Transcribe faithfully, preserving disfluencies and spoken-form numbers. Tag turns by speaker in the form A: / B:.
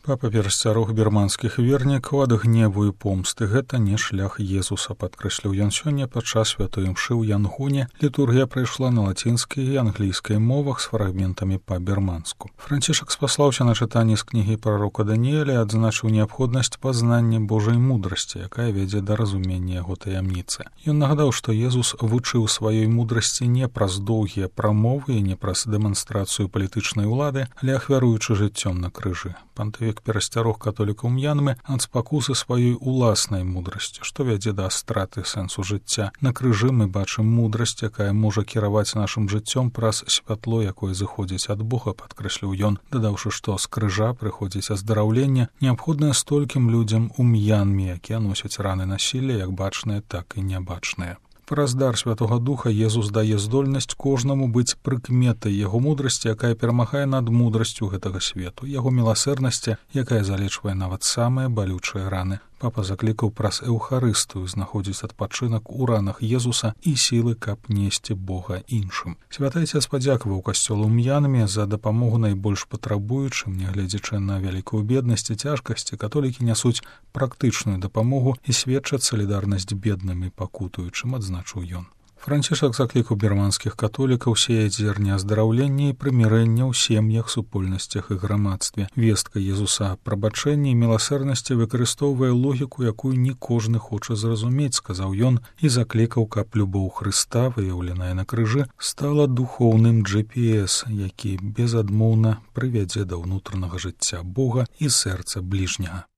A: Папа перасцярог бірманскіх вернікаў ад гневу і помсты. Гэта не шлях Езуса, падкрэсліў ён сёння падчас святой імшы ў Янгоне. Літургія прайшла на лацінскай і англійскай мовах з фрагментамі па-бірманску. Францішак спаслаўся на чытанні з кнігі прарока Даніэля і адзначыў неабходнасць пазнання Божай мудрасці, якая вядзе да разумення яго таямніцы. Ён нагадаў, што Езус вучыў сваёй мудрасці не праз доўгія прамовы і не праз дэманстрацыю палітычнай улады, але ахвяруючы жыццём на крыжы. Пантыфік перасцярог католікаў М'янмы ад спакусы сваёй уласнай мудрасці, што вядзе да страты сэнсу жыцця. На крыжы мы бачым мудрасць, якая можа кіраваць нашым жыццём праз святло, якое зыходзіць ад Бога, падкрэсліў ён, дадаўшы, што з крыжа прыходзіць аздараўленне, неабходнае столькім людзям у М'янме, якія носяць раны насілля, як бачныя, так і нябачныя. Праз дар Святога Духа Езус дае здольнасць кожнаму быць прыкметай яго мудрасці, якая перамагае над мудрасцю гэтага свету, яго міласэрнасці, якая залечвае нават самыя балючыя раны. Папа заклікаў праз эўхарыстыю знаходзіць адпачынак у ранах Езуса і сілы, каб несці Бога іншым. Святы Айцец падзякаваў касцёлу М'янме за дапамогу найбольш патрабуючым, нягледзячы на вялікую беднасць і цяжкасці, католікі нясуць практычную дапамогу і сведчаць салідарнасць бедным і пакутуючым, адзначыў ён. Францішак заклікаў бірманскіх католікаў сеяць зерне аздараўлення і прымірэння ў сем'ях, супольнасцях і грамадстве. Вестка Езуса прабачэння і міласэрнасці выкарыстоўвае логіку, якую не кожны хоча зразумець, сказаў ён, і заклікаў, каб любоў Хрыста, выяўленая на крыжы, стала духоўным джи пі эс, які безадмоўна прывядзе да ўнутранага жыцця Бога і сэрца бліжняга.